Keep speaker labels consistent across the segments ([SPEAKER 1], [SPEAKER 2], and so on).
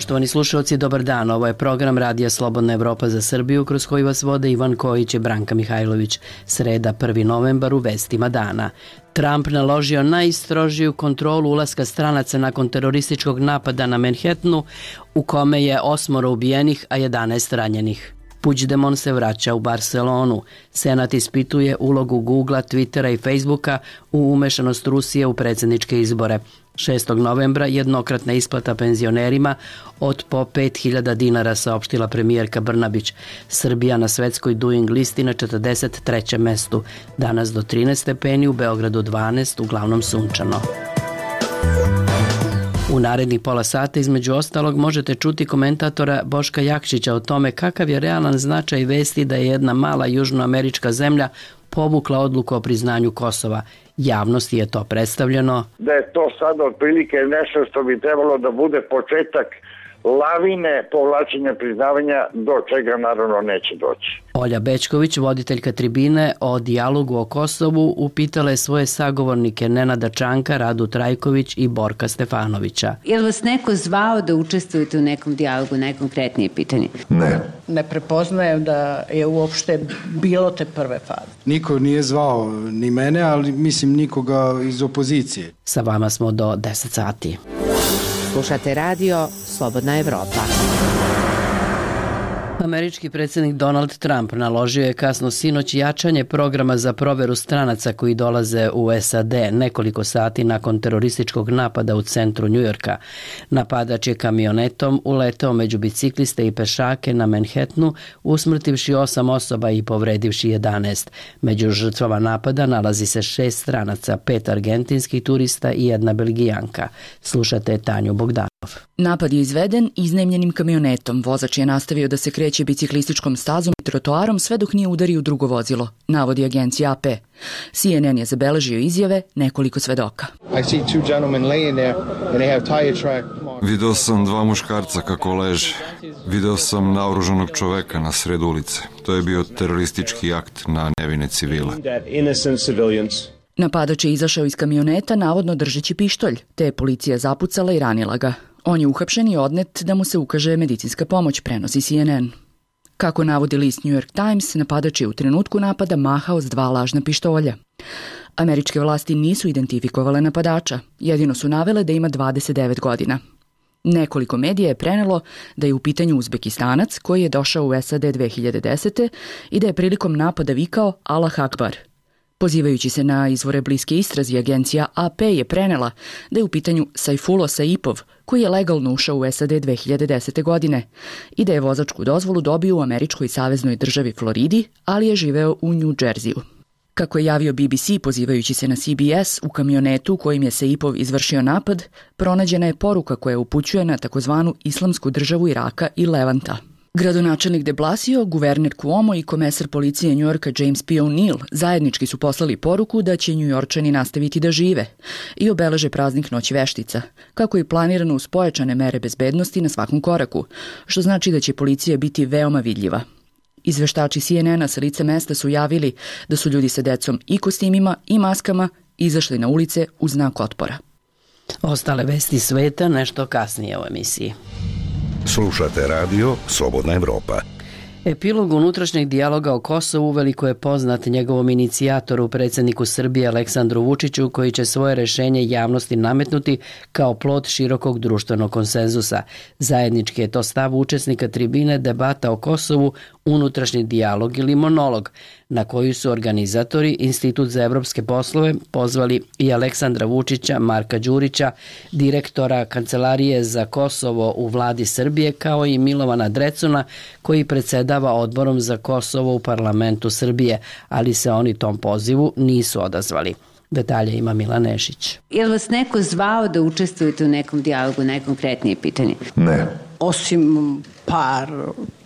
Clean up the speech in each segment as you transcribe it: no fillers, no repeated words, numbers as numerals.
[SPEAKER 1] Poštovani slušalci, dobar dan. Ovo je program Radija Slobodna Evropa za Srbiju, kroz koji vas vode Ivan Kojić i Branka Mihajlović. Sreda, 1. novembar, u vestima dana. Trump naložio najstrožiju kontrolu ulaska stranaca nakon terorističkog napada na Manhattanu, u kome je 8 ubijenih, a 11 ranjenih. Puigdemont se vraća u Barcelonu. Senat ispituje ulogu Googlea, Twittera i Facebooka u umešanost Rusije u predsjedničke izbore. 6. novembra jednokratna isplata penzionerima od po 5.000 dinara, saopštila premijerka Brnabić. Srbija na svetskoj Doing listi na 43. mestu. Danas do 13 stepeni, u Beogradu 12, uglavnom sunčano. U narednih pola sata, između ostalog, možete čuti komentatora Boška Jakšića o tome kakav je realan značaj vesti da je jedna mala južnoamerička zemlja povukla odluku o priznanju Kosova. Javnosti je to predstavljeno.
[SPEAKER 2] Da je to sada otprilike nešto što bi trebalo da bude početak lavine povlačenja priznavanja, do čega naravno neće doći.
[SPEAKER 1] Olja Bećković, voditeljka tribine o dijalogu o Kosovu, upitala je svoje sagovornike Nenada Čanka, Radu Trajković i Borka Stefanovića.
[SPEAKER 3] Je li vas neko zvao da učestvujete u nekom dijalogu, najkonkretnije pitanje?
[SPEAKER 4] Ne.
[SPEAKER 5] Ne prepoznajem da je uopšte bilo te prve faze.
[SPEAKER 6] Niko nije zvao ni mene, ali mislim nikoga iz opozicije.
[SPEAKER 1] Sa vama smo do 10 sati.
[SPEAKER 7] Slušate radio Slobodna Evropa.
[SPEAKER 1] Američki predsjednik Donald Trump naložio je kasno sinoć jačanje programa za proveru stranaca koji dolaze u SAD nekoliko sati nakon terorističkog napada u centru Njujorka. Napadač je kamionetom uleteo među bicikliste i pešake na Manhattanu, usmrtivši 8 osoba i povredivši 11. Među žrtvama napada nalazi se 6 stranaca, 5 argentinskih turista i 1 Belgijanka. Slušate Tanju Bogdanov.
[SPEAKER 8] Napad je izveden iznajmljenim kamionetom. Vozač je nastavio da se kreće biciklističkom stazom i trotoarom sve dok nije udario u drugo vozilo, navodi agencija AP. CNN je zabeležio izjave nekoliko svedoka.
[SPEAKER 9] Video sam 2 muškarca kako leže. Video sam naoružanog čoveka na sred ulice. To je bio teroristički akt na nevine civile.
[SPEAKER 8] Napadač je izašao iz kamioneta navodno držeći pištolj, te je policija zapucala i ranila ga. On je uhapšen i odnet da mu se ukaže medicinska pomoć, prenosi CNN. Kako navodi list New York Times, napadač je u trenutku napada mahao s 2 lažna pištolja. Američke vlasti nisu identifikovale napadača, jedino su navele da ima 29 godina. Nekoliko medija je prenelo da je u pitanju Uzbekistanac koji je došao u SAD 2010. i da je prilikom napada vikao Allah Akbar. Pozivajući se na izvore bliske istrazi, agencija AP je prenela da je u pitanju Sajfulo Saipov, koji je legalno ušao u SAD 2010. godine i da je vozačku dozvolu dobio u američkoj saveznoj državi Floridi, ali je živeo u New Jerseyu. Kako je javio BBC, pozivajući se na CBS, u kamionetu u kojim je Saipov izvršio napad, pronađena je poruka koja upućuje na takozvanu Islamsku državu Iraka i Levanta. Gradonačelnik de Blasio, guverner Cuomo i komesar policije Njujorka James P. O'Neill zajednički su poslali poruku da će Njujorčani nastaviti da žive i obeleže praznik Noći veštica, kako je planirano uz pojačane mere bezbednosti na svakom koraku, što znači da će policija biti veoma vidljiva. Izveštači CNN-a sa lica mesta su javili da su ljudi sa decom i kostimima i maskama izašli na ulice u znak otpora.
[SPEAKER 1] Ostale vesti sveta nešto kasnije u emisiji.
[SPEAKER 4] Slušate radio Slobodna Evropa.
[SPEAKER 1] Epilog unutrašnjeg dijaloga o Kosovu uveliko je poznat njegovom inicijatoru, predsjedniku Srbije Aleksandru Vučiću, koji će svoje rešenje javnosti nametnuti kao plod širokog društvenog konsenzusa. Zajednički je to stav učesnika tribine debata o Kosovu, unutrašnji dijalog ili monolog, na koju su organizatori Institut za evropske poslove pozvali i Aleksandra Vučića, Marka Đurića, direktora Kancelarije za Kosovo u vladi Srbije, kao i Milovana Drecuna, koji predsjedava odborom za Kosovo u parlamentu Srbije, ali se oni tom pozivu nisu odazvali. Detalje ima Milan Nešić.
[SPEAKER 3] Je li vas neko zvao da učestvujete u nekom dijalogu, najkonkretnije pitanje?
[SPEAKER 4] Ne.
[SPEAKER 5] Osim par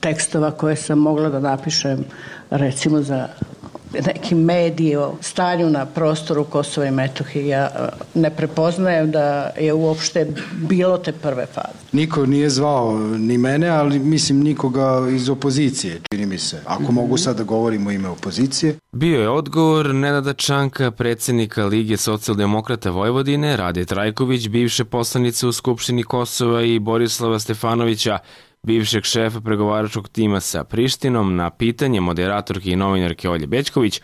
[SPEAKER 5] tekstova koje sam mogla da napišem, recimo za neki mediji o stanju na prostoru Kosova i Metohije. Ja ne prepoznajem da je uopšte bilo te prve faze.
[SPEAKER 6] Niko nije zvao ni mene, ali mislim nikoga iz opozicije, čini mi se. Ako mogu sad da govorim u ime opozicije.
[SPEAKER 10] Bio je odgovor Nenada Čanka, predsjednika Lige socijaldemokrata Vojvodine, Rade Trajković, bivše poslanice u Skupštini Kosova i Borislava Stefanovića, bivšeg šefa pregovaračkog tima sa Prištinom, na pitanje moderatorke i novinarke Olje Bećković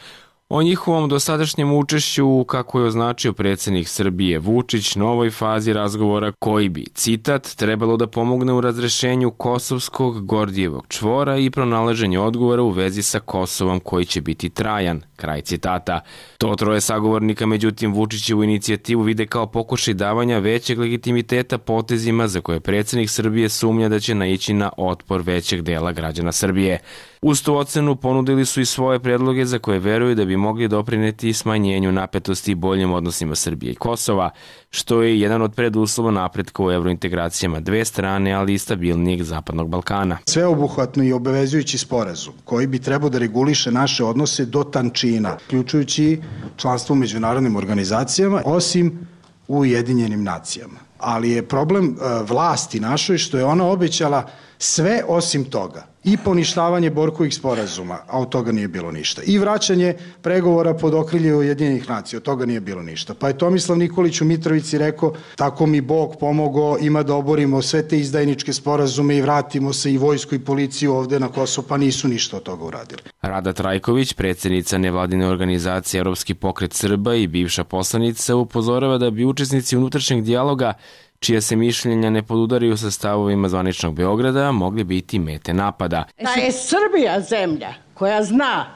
[SPEAKER 10] o njihovom dosadašnjem učešću, kako je označio predsjednik Srbije Vučić, novoj fazi razgovora koji bi, citat, trebalo da pomogne u razrešenju kosovskog Gordijevog čvora i pronalaženju odgovora u vezi sa Kosovom koji će biti trajan, kraj citata. To troje sagovornika, međutim, Vučićevu inicijativu vide kao pokušaj davanja većeg legitimiteta potezima za koje predsjednik Srbije sumnja da će naići na otpor većeg dela građana Srbije. Uz tu ocenu ponudili su i svoje predloge za koje veruju da bi mogli doprineti smanjenju napetosti i boljim odnosima Srbije i Kosova, što je jedan od preduslova napretka u evrointegracijama dve strane, ali i stabilnijeg Zapadnog Balkana.
[SPEAKER 6] Sveobuhvatno i obavezujući sporazum koji bi trebao da reguliše naše odnose do tančina, uključujući članstvo u međunarodnim organizacijama, osim u Ujedinjenim nacijama. Ali je problem vlasti našoj što je ona obećala sve osim toga. I poništavanje Borkovih sporazuma, a od toga nije bilo ništa. I vraćanje pregovora pod okrilje Ujedinjenih nacija, od toga nije bilo ništa. Pa je Tomislav Nikolić u Mitrovici rekao, tako mi Bog pomogao, ima da oborimo sve te izdajničke sporazume i vratimo se i vojsku i policiju ovde na Kosovo, pa nisu ništa od toga uradili.
[SPEAKER 10] Rada Trajković, predsjednica nevladine organizacije Evropski pokret Srba i bivša poslanica, upozorava da bi učesnici unutrašnjeg dijaloga, čija se mišljenja ne podudaraju sa stavovima zvaničnog Beograda, mogli biti mete napada.
[SPEAKER 5] Da je Srbija zemlja koja zna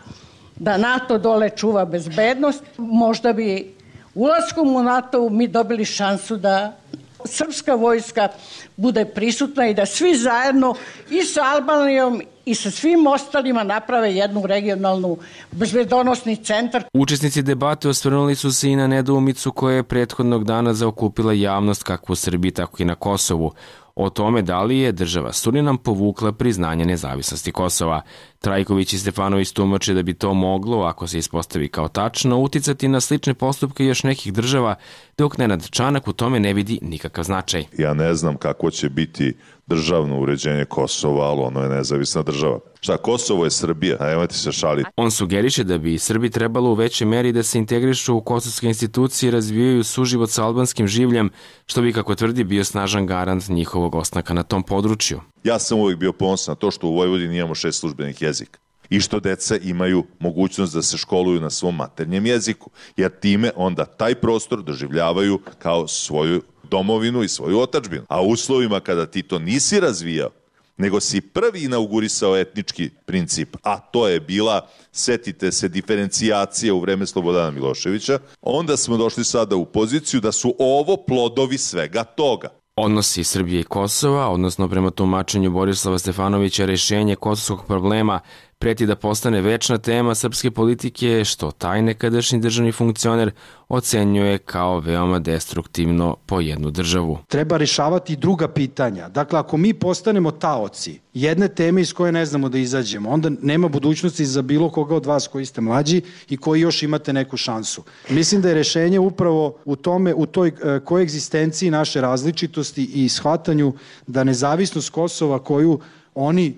[SPEAKER 5] da NATO dole čuva bezbednost, možda bi ulaskom u NATO mi dobili šansu da srpska vojska bude prisutna i da svi zajedno i sa Albanijom i sa svim ostalima naprave jednu regionalnu bezbedonosni centar.
[SPEAKER 10] Učesnici debate osvrnuli su se i na nedoumicu koja je prethodnog dana zaokupila javnost kako u Srbiji, tako i na Kosovu, o tome da li je država Surinam povukla priznanje nezavisnosti Kosova. Trajković i Stefanović tumače da bi to moglo, ako se ispostavi kao tačno, uticati na slične postupke još nekih država, dok Nenad Čanak u tome ne vidi nikakav značaj.
[SPEAKER 11] Ja ne znam kako će biti državno uređenje Kosova, ali ono je nezavisna država. Šta, Kosovo je Srbija, a nemojte se šaliti.
[SPEAKER 10] On sugeriše da bi Srbi trebalo u većoj meri da se integrišu u kosovske institucije i razvijaju suživot sa albanskim življem, što bi, kako tvrdi, bio snažan garant njihovog ostanka na tom području.
[SPEAKER 11] Ja sam uvijek bio ponosan na to što u Vojvodini imamo 6 službenih jezika i što deca imaju mogućnost da se školuju na svom maternjem jeziku, jer time onda taj prostor doživljavaju kao svoju domovinu i svoju otadžbinu. A u uslovima kada ti to nisi razvijao, nego si prvi inaugurisao etnički princip, a to je bila, setite se, diferencijacija u vreme Slobodana Miloševića, onda smo došli sada u poziciju da su ovo plodovi svega toga.
[SPEAKER 10] Odnosi Srbije i Kosova, odnosno prema tumačenju Borislava Stefanovića, rešenje kosovskog problema preti da postane večna tema srpske politike, što taj nekadašnji državni funkcioner ocenjuje kao veoma destruktivno po jednu državu.
[SPEAKER 6] Treba rešavati druga pitanja. Dakle, ako mi postanemo taoci jedne teme iz koje ne znamo da izađemo, onda nema budućnosti za bilo koga od vas koji ste mlađi i koji još imate neku šansu. Mislim da je rešenje upravo u tome, u toj koegzistenciji naše različitosti i shvatanju da nezavisnost Kosova koju oni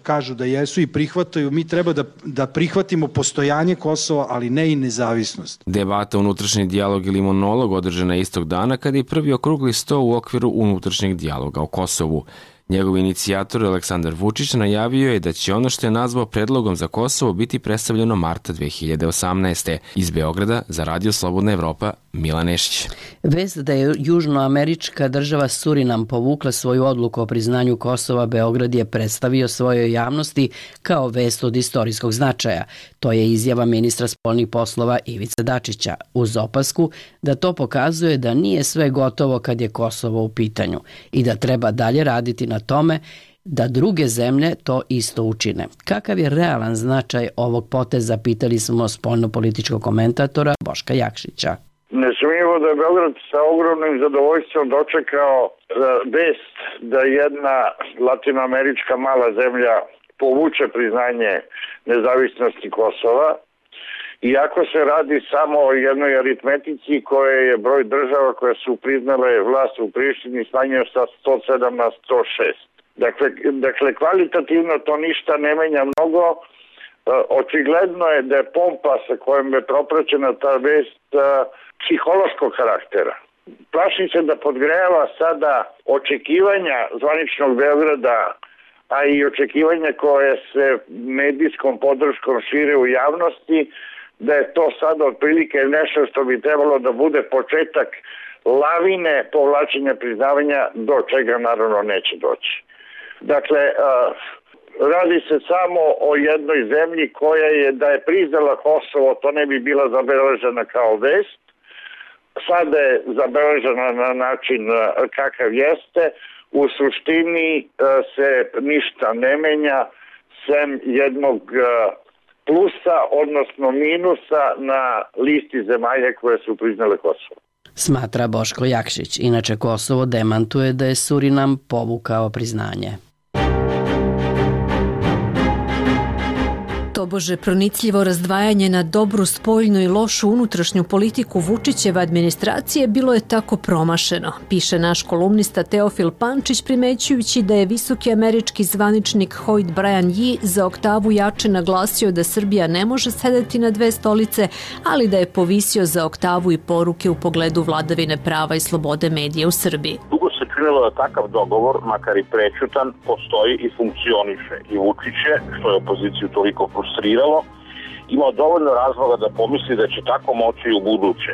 [SPEAKER 6] kažu da jesu i prihvataju, mi treba da prihvatimo postojanje Kosova, ali ne i nezavisnost.
[SPEAKER 10] Debata unutrašnji dijalog ili monolog održana istog dana kada je prvi okrugli sto u okviru unutrašnjeg dijaloga o Kosovu. Njegov inicijator Aleksandar Vučić najavio je da će ono što je nazvao predlogom za Kosovo biti predstavljeno marta 2018. Iz Beograda za Radio Slobodna Evropa, Milan Nešić.
[SPEAKER 1] Vest da je južnoamerička država Surinam povukla svoju odluku o priznanju Kosova, Beograd je predstavio svojoj javnosti kao vest od istorijskog značaja. To je izjava ministra spoljnih poslova Ivice Dačića, uz opasku da to pokazuje da nije sve gotovo kad je Kosovo u pitanju i da treba dalje raditi na tome da druge zemlje to isto učine. Kakav je realan značaj ovog poteza, pitali smo spoljno-političkog komentatora Boška Jakšića.
[SPEAKER 2] Nesumnjivo da je Beograd sa ogromnim zadovoljstvom dočekao vest da jedna latinoamerička mala zemlja povuče priznanje nezavisnosti Kosova Iako se radi samo o jednoj aritmetici koje je broj država koje su priznale vlast u Prištini smanjio sa 107 na 106. Dakle, kvalitativno to ništa ne menja mnogo. Očigledno je da je pompa sa kojom je propraćena ta vest psihološkog karaktera. Plašim se da podgrejava sada očekivanja zvaničnog Beograda, a i očekivanja koje se medijskom podrškom šire u javnosti, da je to sada otprilike nešto što bi trebalo da bude početak lavine povlačenja priznavanja, do čega naravno neće doći. Dakle, radi se samo o jednoj zemlji koja je, da je priznala Kosovo, to ne bi bila zabeležena kao vest. Sada je zabeležena na način kakav jeste. U suštini se ništa ne menja sem jednog plusa, odnosno minusa na listi zemalja koje su priznale Kosovo.
[SPEAKER 1] Smatra Boško Jakšić. Inače, Kosovo demantuje da je Surinam povukao priznanje.
[SPEAKER 12] Tobože pronicljivo razdvajanje na dobru spoljnu i lošu unutrašnju politiku Vučićeve administracije bilo je tako promašeno, piše naš kolumnista Teofil Pančić, primećujući da je visoki američki zvaničnik Hoyt Brian Yee za oktavu jače naglasio da Srbija ne može sedeti na dve stolice, ali da je povisio za oktavu i poruke u pogledu vladavine prava i slobode medija u Srbiji.
[SPEAKER 13] Činilo da takav dogovor, makar i prećutan, postoji i funkcioniše. I Vučić je, što je opoziciju toliko frustriralo, imao dovoljno razloga da pomisli da će tako moći i u buduće.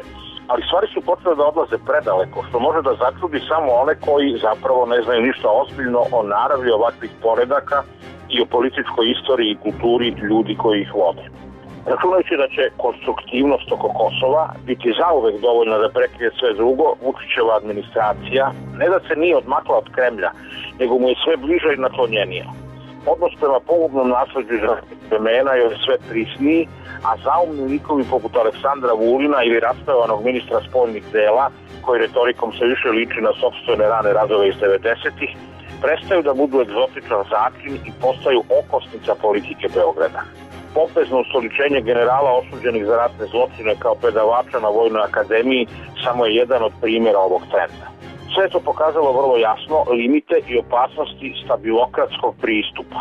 [SPEAKER 13] Ali stvari su počele da odlaze predaleko, što može da začudi samo one koji zapravo ne znaju ništa ozbiljno o naravi ovakvih poredaka i o političkoj istoriji i kulturi ljudi koji ih vode. Računajući da će konstruktivnost oko Kosova biti zauvek dovoljna da prekrije sve drugo, Vučićeva administracija ne da se nije odmakla od Kremlja, nego mu je sve bliža i naklonjenija. Odnos prema pogubnom nasleđu iz ratnih vremena je sve prisniji, a zaumni likovi poput Aleksandra Vulina ili raspavanog ministra spoljnih dela, koji retorikom se više liči na sopstvene rane radove iz 90-ih, prestaju da budu egzotičan začin i postaju okosnica politike Beograda. Pompezno ustoličenje generala osuđenih za ratne zločine kao predavača na Vojnoj akademiji samo je jedan od primjera ovog trenda. Sve je to pokazalo vrlo jasno limite i opasnosti stabilokratskog pristupa.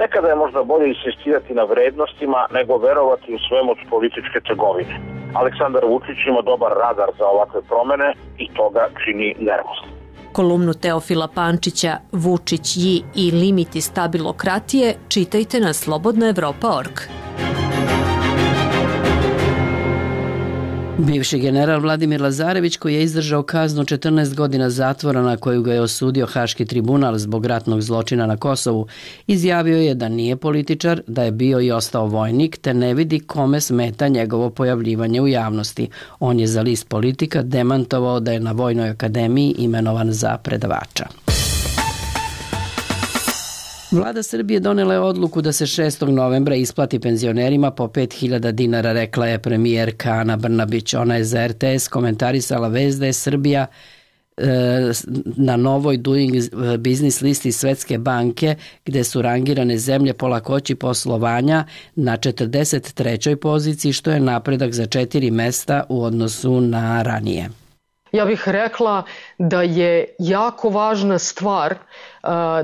[SPEAKER 13] Nekada je možda bolje insistirati na vrednostima nego verovati u svemoć političke trgovine. Aleksandar Vučić ima dobar radar za ovakve promene i to ga čini nervoznim.
[SPEAKER 12] Kolumnu Teofila Pančića Vučić, Yee i limiti stabilokratije čitajte na slobodnaevropa.org.
[SPEAKER 1] Bivši general Vladimir Lazarević, koji je izdržao kaznu 14 godina zatvora na koju ga je osudio Haški tribunal zbog ratnog zločina na Kosovu, izjavio je da nije političar, da je bio i ostao vojnik, te ne vidi kome smeta njegovo pojavljivanje u javnosti. On je za list Politika demantovao da je na Vojnoj akademiji imenovan za predavača. Vlada Srbije donela je odluku da se 6. novembra isplati penzionerima po 5.000 dinara, rekla je premijerka Ana Brnabić. Ona je za RTS komentarisala vest da je Srbija na novoj Doing Business listi Svetske banke, gde su rangirane zemlje po lakoći poslovanja, na 43. poziciji, što je napredak za 4 mesta u odnosu na ranije.
[SPEAKER 14] Ja bih rekla da je jako važna stvar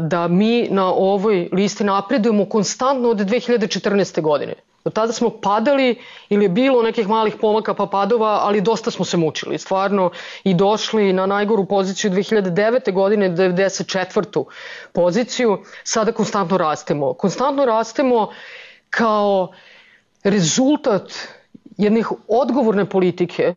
[SPEAKER 14] da mi na ovoj listi napredujemo konstantno od 2014. godine. Do tada smo padali ili je bilo nekih malih pomaka pa padova, ali dosta smo se mučili stvarno i došli na najgoru poziciju 2009. godine, 94. poziciju. Sada konstantno rastemo. Konstantno rastemo kao rezultat jednih odgovorne politike.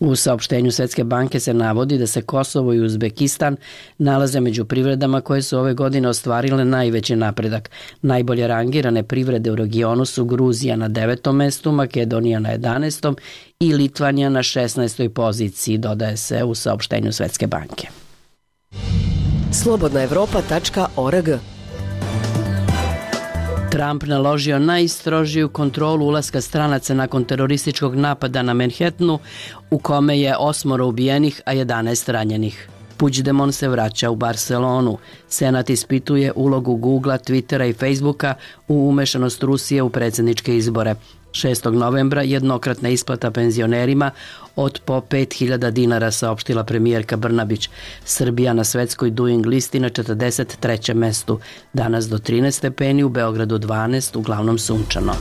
[SPEAKER 1] U saopštenju Svetske banke se navodi da se Kosovo i Uzbekistan nalaze među privredama koje su ove godine ostvarile najveći napredak. Najbolje rangirane privrede u regionu su Gruzija na 9. mestu, Makedonija na 11. i Litvanija na 16. poziciji, dodaje se u saopštenju Svetske banke.
[SPEAKER 7] slobodnaevropa.org.
[SPEAKER 1] Trump naložio najstrožiju kontrolu ulaska stranaca nakon terorističkog napada na Manhattanu, u kome je 8 ubijenih, a 11 ranjenih. Puigdemont se vraća u Barcelonu. Senat ispituje ulogu Googlea, Twittera i Facebooka u umešanost Rusije u predsjedničke izbore. 6. novembra jednokratna isplata penzionerima od po 5.000 dinara, saopštila premijerka Brnabić. Srbija na svetskoj Doing listi na 43. mestu. Danas do 13 stepeni, u Beogradu 12, uglavnom sunčano.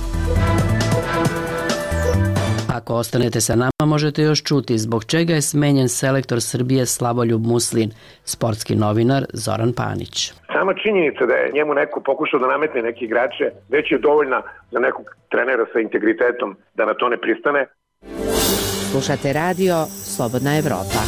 [SPEAKER 1] Ako ostanete sa nama, možete još čuti zbog čega je smenjen selektor Srbije Slavoljub Muslin, sportski novinar Zoran Panić.
[SPEAKER 15] Sama činjenica da je njemu neko pokušao da nametne neke igrače već je dovoljna za nekog trenera sa integritetom da na to ne pristane.
[SPEAKER 7] Slušate radio Slobodna Evropa.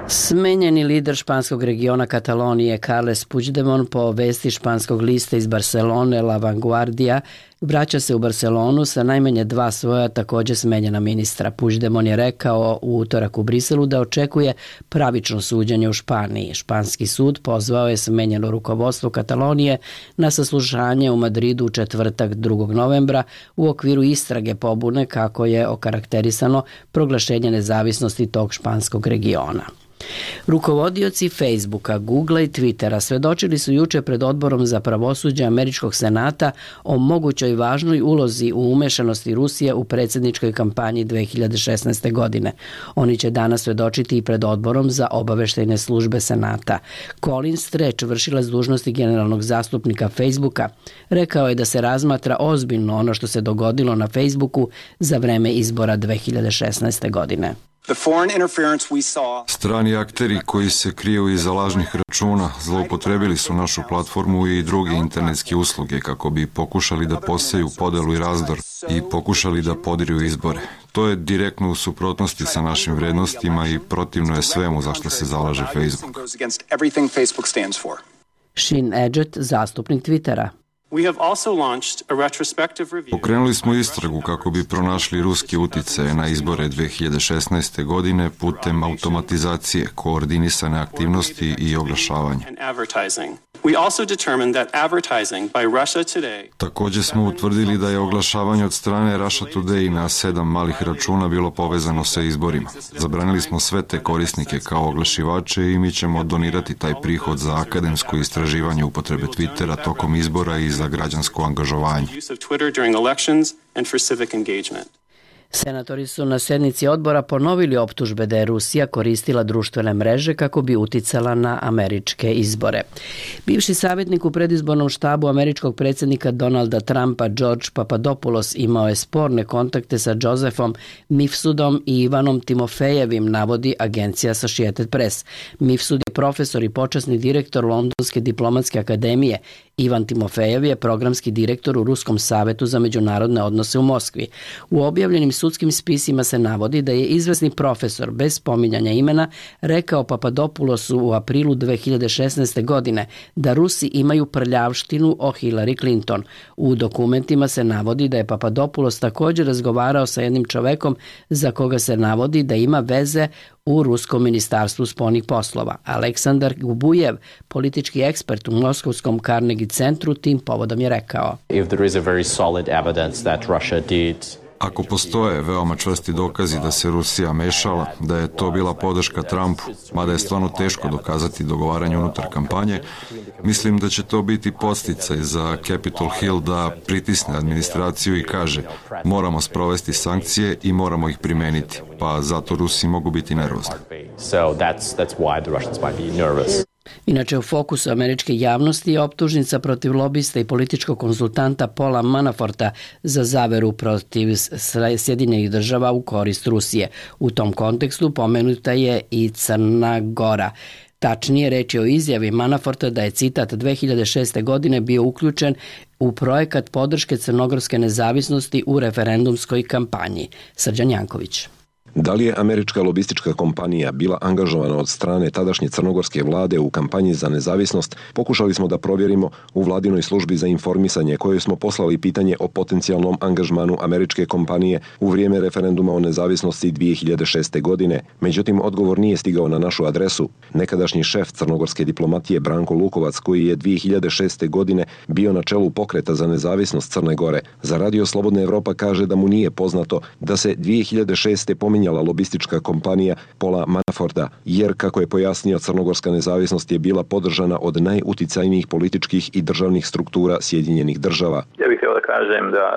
[SPEAKER 1] Smenjeni lider španskog regiona Katalonije Carles Puigdemont po vesti španskog lista iz Barcelone La Vanguardia vraća se u Barcelonu sa najmanje 2 svoja također smenjena ministra. Puigdemont je rekao u utorak u Briselu da očekuje pravično suđenje u Španiji. Španski sud pozvao je smenjeno rukovodstvo Katalonije na saslušanje u Madridu u četvrtak 2. novembra u okviru istrage pobune kako je okarakterisano proglašenje nezavisnosti tog španskog regiona. Rukovodioci Facebooka, Googlea i Twittera svedočili su juče pred odborom za pravosuđe Američkog senata o mogućoj važnoj ulozi u umešanosti Rusije u predsjedničkoj kampanji 2016. godine. Oni će danas svedočiti i pred odborom za obaveštajne službe senata. Colin Stretch, vršilac dužnosti generalnog zastupnika Facebooka, rekao je da se razmatra ozbiljno ono što se dogodilo na Facebooku za vreme izbora 2016. godine.
[SPEAKER 9] Strani akteri koji se kriju iza lažnih računa zloupotrebili su našu platformu i druge internetske usluge kako bi pokušali da poseju podelu i razdor i pokušali da podiru izbore. To je direktno u suprotnosti sa našim vrednostima i protivno je svemu za što se zalaže Facebook.
[SPEAKER 1] Shin Edget, zastupnik Twittera.
[SPEAKER 9] Pokrenuli smo istragu kako bi pronašli ruski uticaje na izbore 2016. godine putem automatizacije, koordinisane aktivnosti i oglašavanja. Također smo utvrdili da je oglašavanje od strane Russia Today na 7 malih računa bilo povezano sa izborima. Zabranili smo sve te korisnike kao oglašivače i mi ćemo donirati taj prihod za akademsko istraživanje upotrebe Twittera tokom izbora i za građansko angažovanje.
[SPEAKER 1] Senatori su na sednici odbora ponovili optužbe da je Rusija koristila društvene mreže kako bi uticala na američke izbore. Bivši savjetnik u predizbornom štabu američkog predsjednika Donalda Trumpa George Papadopoulos imao je sporne kontakte sa Josephom Mifsudom i Ivanom Timofejevim, navodi agencija Associated Press. Mifsud je profesor i počasni direktor Londonske diplomatske akademije. Ivan Timofejev je programski direktor u Ruskom savetu za međunarodne odnose u Moskvi. U objavljenim sudskim spisima se navodi da je izvesni profesor, bez spominjanja imena, rekao Papadopoulosu u aprilu 2016. godine da Rusi imaju prljavštinu o Hillary Clinton. U dokumentima se navodi da je Papadopoulos također razgovarao sa jednim čovekom za koga se navodi da ima veze u Ruskom ministarstvu spoljnih poslova. Aleksandar Gubujev, politički ekspert u Moskovskom Carnegie centru, tim povodom je rekao:
[SPEAKER 9] Ako postoje veoma čvrsti dokazi da se Rusija mešala, da je to bila podrška Trumpu, mada je stvarno teško dokazati dogovaranje unutar kampanje, mislim da će to biti podsticaj za Capitol Hill da pritisne administraciju i kaže moramo sprovesti sankcije i moramo ih primeniti, pa zato Rusi mogu biti nervozni.
[SPEAKER 1] Inače, u fokusu američke javnosti je optužnica protiv lobista i političkog konsultanta Paula Manaforta za zaveru protiv Sjedinjenih država u korist Rusije. U tom kontekstu pomenuta je i Crna Gora. Tačnije, reč je o izjavi Manaforta da je, citat, 2006. godine bio uključen u projekat podrške crnogorske nezavisnosti u referendumskoj kampanji. Srđan Janković.
[SPEAKER 16] Da li je američka lobistička kompanija bila angažovana od strane tadašnje crnogorske vlade u kampanji za nezavisnost, pokušali smo da provjerimo u vladinoj službi za informisanje kojoj smo poslali pitanje o potencijalnom angažmanu američke kompanije u vrijeme referenduma o nezavisnosti 2006. godine. Međutim, odgovor nije stigao na našu adresu. Nekadašnji šef crnogorske diplomatije Branko Lukovac, koji je 2006. godine bio na čelu pokreta za nezavisnost Crne Gore, za Radio Slobodna Evropa kaže da mu nije poznato da se 2006. pominje menjala lobistička kompanija Paula Manaforta, jer, kako je pojasnio, crnogorska nezavisnost je bila podržana od najuticajnijih političkih i državnih struktura Sjedinjenih država.
[SPEAKER 17] Ja bih htio da kažem da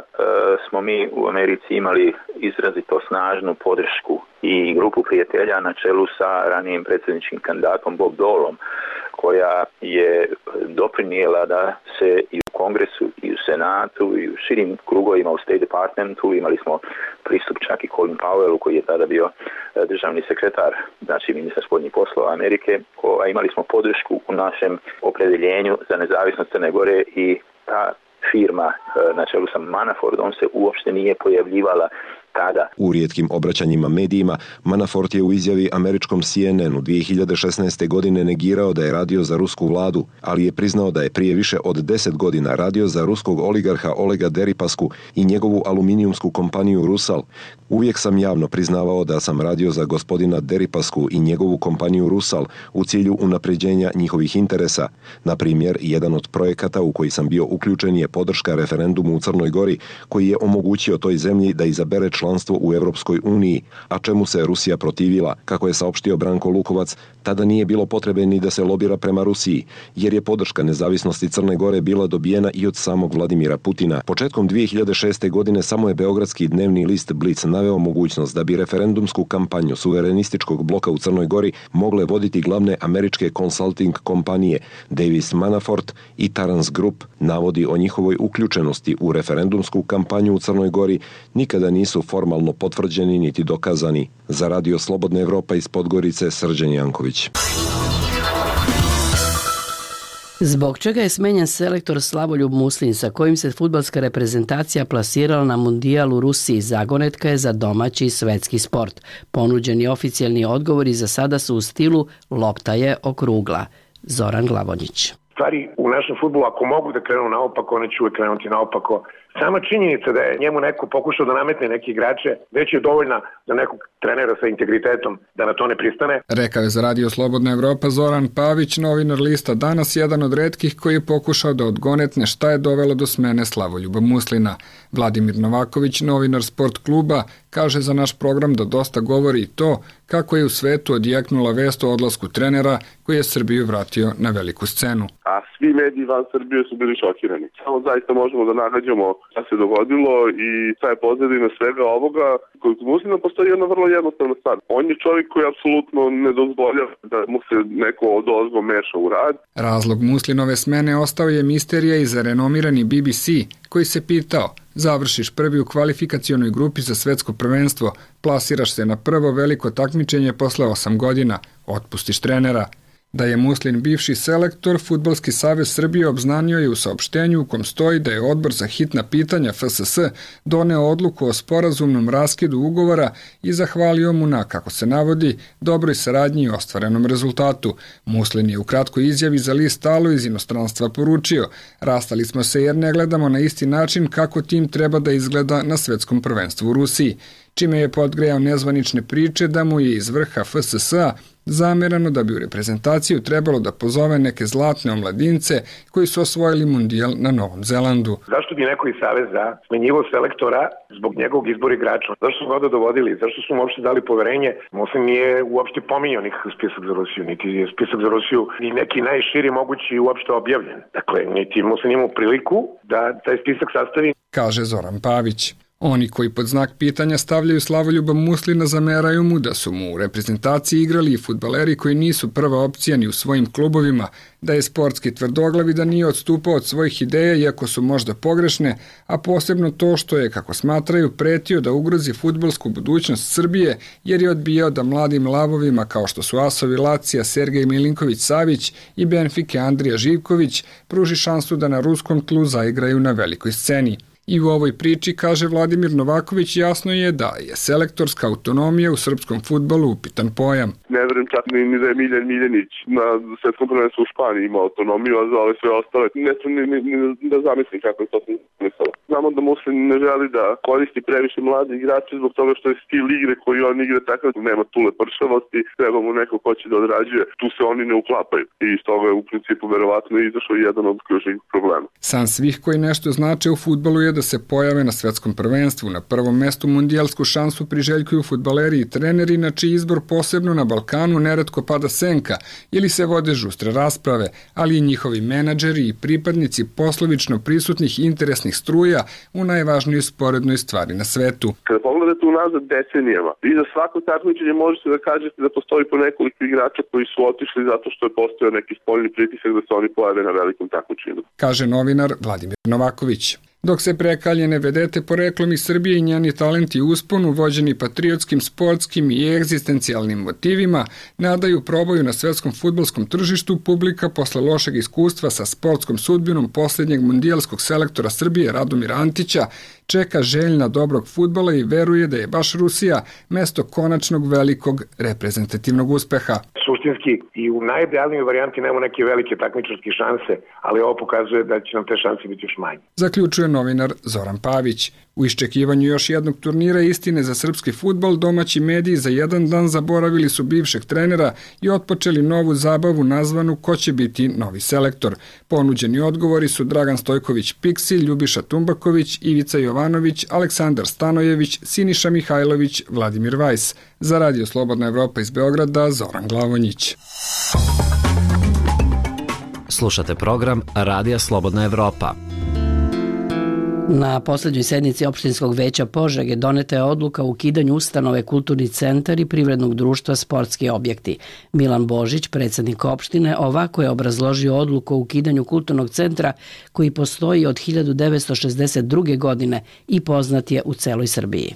[SPEAKER 17] smo mi u Americi imali izrazito snažnu podršku i grupu prijatelja na čelu sa ranijim predsjedničkim kandidatom Bob Doleom, koja je doprinijela da se i u Kongresu i u Senatu i u širim krugovima u State Departmentu imali smo pristup čak i Colin Powellu, koji je tada bio državni sekretar, znači ministar spoljnih poslova Amerike. Imali smo podršku u našem opredeljenju za nezavisnost Crne Gore i ta firma na čelu sa Manafordom se uopšte nije pojavljivala tada.
[SPEAKER 16] U rijetkim obraćanjima medijima, Manafort je u izjavi američkom CNN-u 2016. godine negirao da je radio za rusku vladu, ali je priznao da je prije više od 10 godina radio za ruskog oligarha Olega Deripasku i njegovu aluminijumsku kompaniju Rusal. Uvijek sam javno priznavao da sam radio za gospodina Deripasku i njegovu kompaniju Rusal u cilju unapređenja njihovih interesa. Na primjer, jedan od projekata u koji sam bio uključen je podrška referendumu u Crnoj Gori, koji je omogućio toj zemlji da izabere članstvo u Europskoj uniji, a čemu se Rusija protivila. Kako je saopštio Branko Lukovac, tada nije bilo potrebe ni da se lobira prema Rusiji, jer je podrška nezavisnosti Crne Gore bila dobijena i od samog Vladimira Putina. Početkom 2006. godine samo je beogradski dnevni list Blic naveo mogućnost da bi referendumsku kampanju suverenističkog bloka u Crnoj Gori mogle voditi glavne američke consulting kompanije Davis Manafort i Tarrance Group. Navodi o njihovoj uključenosti u referendumsku kampanju u Crnoj Gori nikada nisu formalno potvrđeni niti dokazani. Za Radio Slobodna Evropa iz Podgorice, Srđan Janković.
[SPEAKER 1] Zbog čega je smenjen selektor Slavoljub Muslin, sa kojim se fudbalska reprezentacija plasirala na mundijal u Rusiji, zagonetka je za domaći i svetski sport. Ponuđeni oficijalni odgovori za sada su u stilu lopta je okrugla. Zoran Glavonjić.
[SPEAKER 15] Stvari u našem fudbalu, ako mogu da krenu naopako, one će uvek krenuti naopako. Sama činjenica da je njemu neko pokušao da nametne neke igrače, već je dovoljna za nekog trenera sa integritetom da na to ne pristane.
[SPEAKER 18] Rekao je za Radio Slobodna Evropa Zoran Pavić, novinar lista Danas, jedan od retkih koji je pokušao da odgonetne šta je dovelo do smene Slavoljuba Muslina. Vladimir Novaković, novinar Sport kluba, kaže za naš program da dosta govori i to kako je u svetu odjeknula vest o odlasku trenera koji je Srbiju vratio na veliku scenu.
[SPEAKER 19] A svi mediji van Srbije su bili šokirani. Samo zaista možemo da nagađamo šta se dogodilo i šta je pozadina svega ovoga. Kod Muslina postoji jedna vrlo jednostavna stvar. On je čovjek koji apsolutno ne dozvoljava da mu se neko odozgo meša u rad.
[SPEAKER 18] Razlog Muslinove smene ostao je misterija i za renomirani BBC, koji se pitao: završiš prvi u kvalifikacionoj grupi za svetsko prvenstvo, plasiraš se na prvo veliko takmičenje posle 8 godina, otpustiš trenera. Da je Muslin bivši selektor, Fudbalski savez Srbije obznanio je u saopštenju u kom stoji da je Odbor za hitna pitanja FSS doneo odluku o sporazumnom raskidu ugovora i zahvalio mu na, kako se navodi, dobroj saradnji i ostvarenom rezultatu. Muslin je u kratkoj izjavi za list Alo iz inostranstva poručio: rastali smo se jer ne gledamo na isti način kako tim treba da izgleda na svetskom prvenstvu u Rusiji, čime je podgrejao nezvanične priče da mu je iz vrha FSS-a zamerano da bi u reprezentaciju trebalo da pozove neke zlatne omladince koji su osvojili mundijal na Novom Zelandu.
[SPEAKER 15] Zašto bi neko iz Saveza smenjivo selektora zbog njegovog izbora igrača? Zašto su ga dovodili? Zašto su mu uopšte dali poverenje? Muslin nije uopšte pominjao nikakav spisak za Rusiju, niti je spisak za Rusiju ni neki najširi mogući uopšte objavljen. Dakle, niti Muslin imao priliku da taj spisak sastavi.
[SPEAKER 18] Kaže Zoran Pavić. Oni koji pod znak pitanja stavljaju Slavoljuba Muslina zameraju mu da su mu u reprezentaciji igrali i fudbaleri koji nisu prva opcija ni u svojim klubovima, da je sportski tvrdoglav i da nije odstupao od svojih ideja iako su možda pogrešne, a posebno to što je, kako smatraju, pretio da ugrozi fudbalsku budućnost Srbije jer je odbijao da mladim lavovima kao što su asovi Lacija Sergej Milinković-Savić i Benfike Andrija Živković pruži šansu da na ruskom tlu zaigraju na velikoj sceni. I u ovoj priči, kaže Vladimir Novaković, jasno je da je selektorska autonomija u srpskom fudbalu upitan pojam.
[SPEAKER 19] Ne verujem čak ni da je Miljan Miljanić na svetskom prvenstvu u Španiji imao autonomiju, a za ove sve ostale ne sam ni da zamislim kako je to smislilo. Znamo da Muslin ne želi da koristi previše mlade igrače zbog toga što je stil igre koji on igra takav, nema tule pršavosti, treba mu neko ko će da odrađuje, tu se oni ne uklapaju i iz toga je u principu verovatno izašao jedan od ključnih problema.
[SPEAKER 18] San svih koji nešto znače u fudbalu je da se pojave na svetskom prvenstvu. Na prvom mestu mundijalsku šansu priželjkuju fudbaleri i treneri, na čiji izbor posebno na Balkanu neretko pada senka ili se vode žustre rasprave, ali i njihovi menadžeri i pripadnici poslovično prisutnih interesnih struja u najvažnijoj sporednoj stvari na svetu.
[SPEAKER 19] Kada pogledate unazad decenijama, vi za svako takmičenje možete da kažete da postoji po nekoliko igrača koji su otišli zato što je postojao neki spoljni pritisak da se oni pojave na velikom takmičenju,
[SPEAKER 18] kaže novinar Vladimir Novaković. Dok se prekaljene vedete poreklom iz Srbije i njeni talenti usponu, vođeni patriotskim, sportskim i egzistencijalnim motivima, nadaju probaju na svetskom fudbalskom tržištu, publika posle lošeg iskustva sa sportskom sudbinom posljednjeg mundijalskog selektora Srbije Radomira Antića čeka željna dobrog fudbala i veruje da je baš Rusija mesto konačnog velikog reprezentativnog uspeha.
[SPEAKER 15] Suštinski i u najidealnijoj varijanti nema neke velike takmičarske šanse, ali ovo pokazuje da će nam te šanse biti još manje.
[SPEAKER 18] Zaključuje novinar Zoran Pavić. U iščekivanju još jednog turnira istine za srpski fudbal, domaći mediji za jedan dan zaboravili su bivšeg trenera i otpočeli novu zabavu nazvanu Ko će biti novi selektor. Ponuđeni odgovori su Dragan Stojković Piksi, Ljubiša Tumbaković, Ivica Jovanović, Aleksandar Stanojević, Siniša Mihajlović, Vladimir Vajs. Za Radio Slobodna Evropa iz Beograda, Zoran Glavonjić.
[SPEAKER 20] Slušate program Radija Slobodna Evropa.
[SPEAKER 1] Na poslednjoj sednici opštinskog veća Požege doneta je odluka o ukidanju ustanove Kulturni centar i privrednog društva Sportski objekti. Milan Božić, predsjednik opštine, ovako je obrazložio odluku o ukidanju kulturnog centra koji postoji od 1962. godine i poznat je u celoj Srbiji.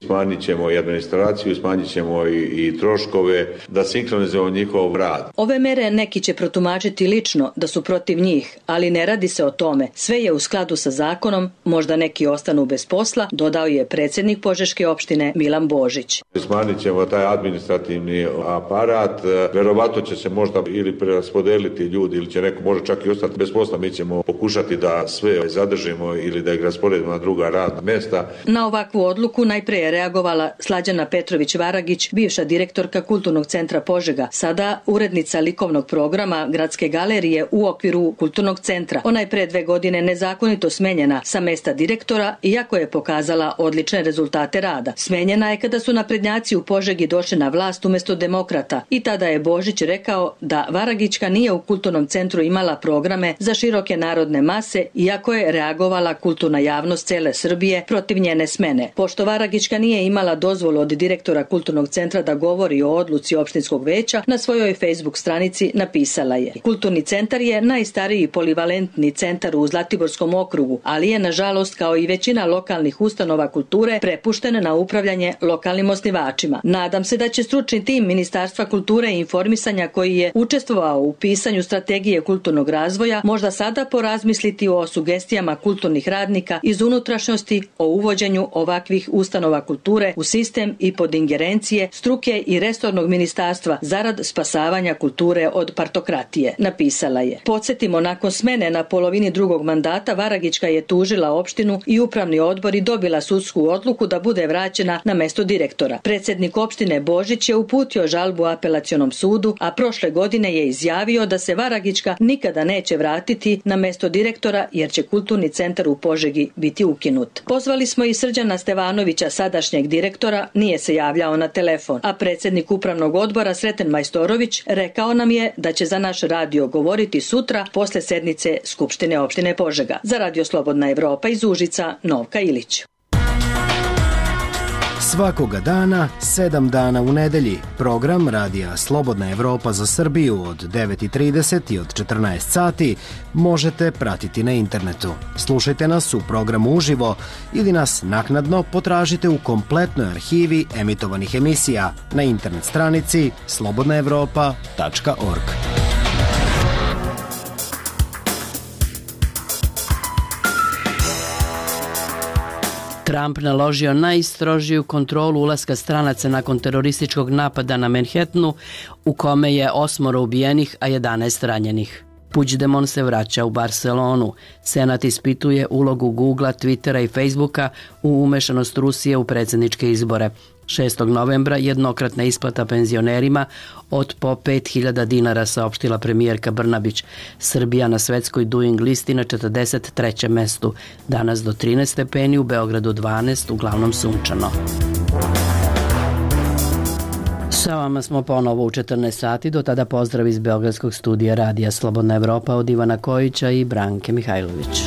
[SPEAKER 21] Smanjit ćemo i administraciju, smanjit ćemo i troškove, da sinkronizujemo njihov rad.
[SPEAKER 22] Ove mere neki će protumačiti lično da su protiv njih, ali ne radi se o tome. Sve je u skladu sa zakonom, možda neki ostanu bez posla, dodao je predsjednik Požeške opštine Milan Božić.
[SPEAKER 21] Smanjit ćemo taj administrativni aparat, verovatno će se možda ili preraspodeliti ljudi ili će neko možda čak i ostati bez posla. Mi ćemo pokušati da sve zadržimo ili da ih rasporedimo na druga radna mesta.
[SPEAKER 22] Na ovakvu odluku najpre reagovala Slađana Petrović-Varagić, bivša direktorka Kulturnog centra Požega, sada urednica likovnog programa Gradske galerije u okviru Kulturnog centra. Ona je pre 2 godine nezakonito smenjena sa mesta direktora, iako je pokazala odlične rezultate rada. Smenjena je kada su naprednjaci u Požegi došli na vlast umjesto demokrata i tada je Božić rekao da Varagićka nije u Kulturnom centru imala programe za široke narodne mase, iako je reagovala kulturna javnost cele Srbije protiv njene smene. Pošto Varagićka nije imala dozvolu od direktora Kulturnog centra da govori o odluci opštinskog veća, na svojoj Facebook stranici napisala je: Kulturni centar je najstariji polivalentni centar u Zlatiborskom okrugu, ali je nažalost kao i većina lokalnih ustanova kulture prepušten na upravljanje lokalnim osnivačima. Nadam se da će stručni tim Ministarstva kulture i informisanja koji je učestvovao u pisanju strategije kulturnog razvoja možda sada porazmisliti o sugestijama kulturnih radnika iz unutrašnjosti o uvođenju ovakvih ustanova kulture u sistem i pod ingerencije struke i resornog ministarstva zarad spasavanja kulture od partokratije, napisala je. Podsjetimo, nakon smene na polovini drugog mandata Varagićka je tužila opštinu i upravni odbor i dobila sudsku odluku da bude vraćena na mesto direktora. Predsjednik opštine Božić je uputio žalbu apelacionom sudu, a prošle godine je izjavio da se Varagićka nikada neće vratiti na mesto direktora jer će Kulturni centar u Požegi biti ukinut. Pozvali smo i Srđana Stevanovića, sadašnjeg direktora, nije se javljao na telefon, a predsjednik upravnog odbora Sreten Majstorović rekao nam je da će za naš radio govoriti sutra posle sednice Skupštine opštine Požega. Za Radio Slobodna Evropa iz Užica, Novka Ilić.
[SPEAKER 23] Svakoga dana, 7 dana u nedelji, program Radija Slobodna Evropa za Srbiju od 9:30 i od 14 sati možete pratiti na internetu. Slušajte nas u programu uživo ili nas naknadno potražite u kompletnoj arhivi emitovanih emisija na internet stranici slobodnaevropa.org.
[SPEAKER 1] Trump naložio najstrožiju kontrolu ulaska stranaca nakon terorističkog napada na Manhattanu, u kome je 8 ubijenih, a 11 ranjenih. Puigdemont se vraća u Barcelonu. Senat ispituje ulogu Googlea, Twittera i Facebooka u umešanost Rusije u predsjedničke izbore. 6. novembra jednokratna isplata penzionerima od po 5.000 dinara, saopštila premijerka Brnabić. Srbija na svetskoj Doing listi na 43. mestu. Danas do 13 stepeni, u Beogradu 12, uglavnom sunčano. Sa vama smo ponovo u 14 sati, do tada pozdrav iz Beogradskog studija Radija Slobodna Evropa od Ivana Kojića i Branke Mihajlović.